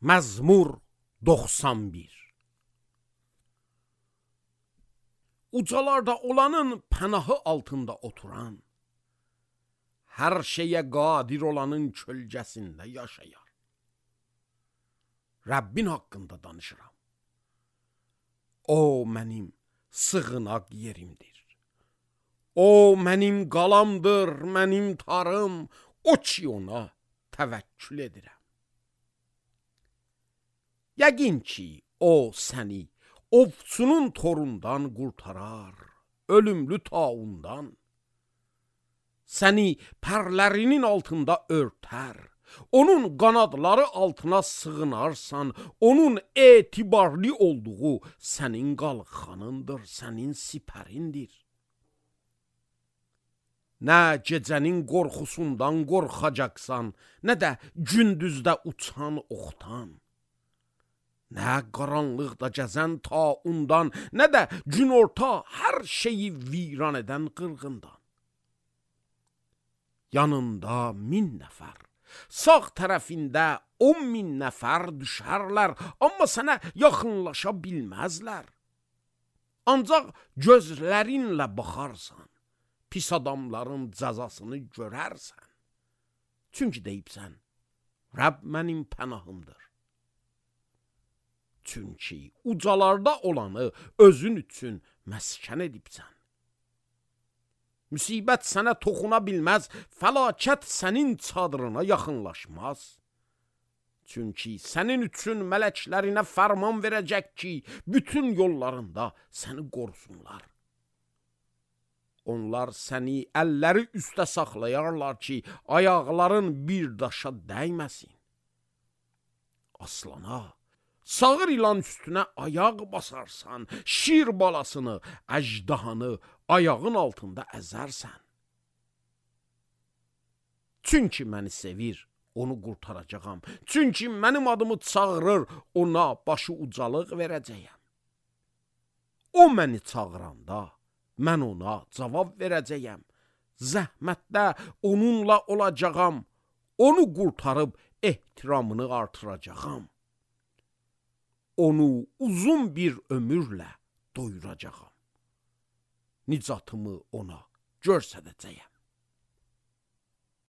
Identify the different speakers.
Speaker 1: Məzmur 91. Ucalarda olanın pənahı altında oturan, hər şeyə qadir olanın kölgəsində yaşayar. Rəbbin haqqında danışıram. O mənim sığınaq yerimdir. O mənim qalamdır, mənim tarım, o ki ona təvəkkül edirəm. Yəqin ki, o səni ovçunun torundan qurtarar, ölümlü taundan. Səni pərlərinin altında örtər, onun qanadları altına sığınarsan, onun etibarlı olduğu sənin qalxanındır, sənin sipərindir. Nə gecənin qorxusundan qorxacaqsan, nə də gündüzdə uçan oxtan. Nə qaranlıqda gəzən taundan, nə də günorta hər şeyi viran edən qırğından. Yanında 1000 nəfər, sağ tərəfində 10.000 nəfər düşərlər, amma sənə yaxınlaşa bilməzlər. Ancaq gözlərinlə baxarsan, pis adamların cəzasını görərsən. Çünki deyibsən, Rəbb mənim pənahımdır. Çünki ucalarda olanı özün üçün məskən edibsən. Müsibət sənə toxuna bilməz, fəlakət sənin çadırına yaxınlaşmaz. Çünki sənin üçün mələklərinə fərman verəcək ki, bütün yollarında səni qorusunlar. Onlar səni əlləri üstə saxlayarlar ki, ayaqların bir daşa dəyməsin. Aslana, sağır ilan üstünə ayaq basarsan, şir balasını, əjdahanı ayağın altında əzərsən. Çünki məni sevir, onu qurtaracağam. Çünki mənim adımı çağırır, ona başı ucalıq verəcəyəm. O məni çağıranda, mən ona cavab verəcəyəm. Zəhmətdə onunla olacağam, onu qurtarıb ehtiramını artıracağam. Onu uzun bir ömürlə doyuracağam. Nicatımı ona göstərəcəyəm.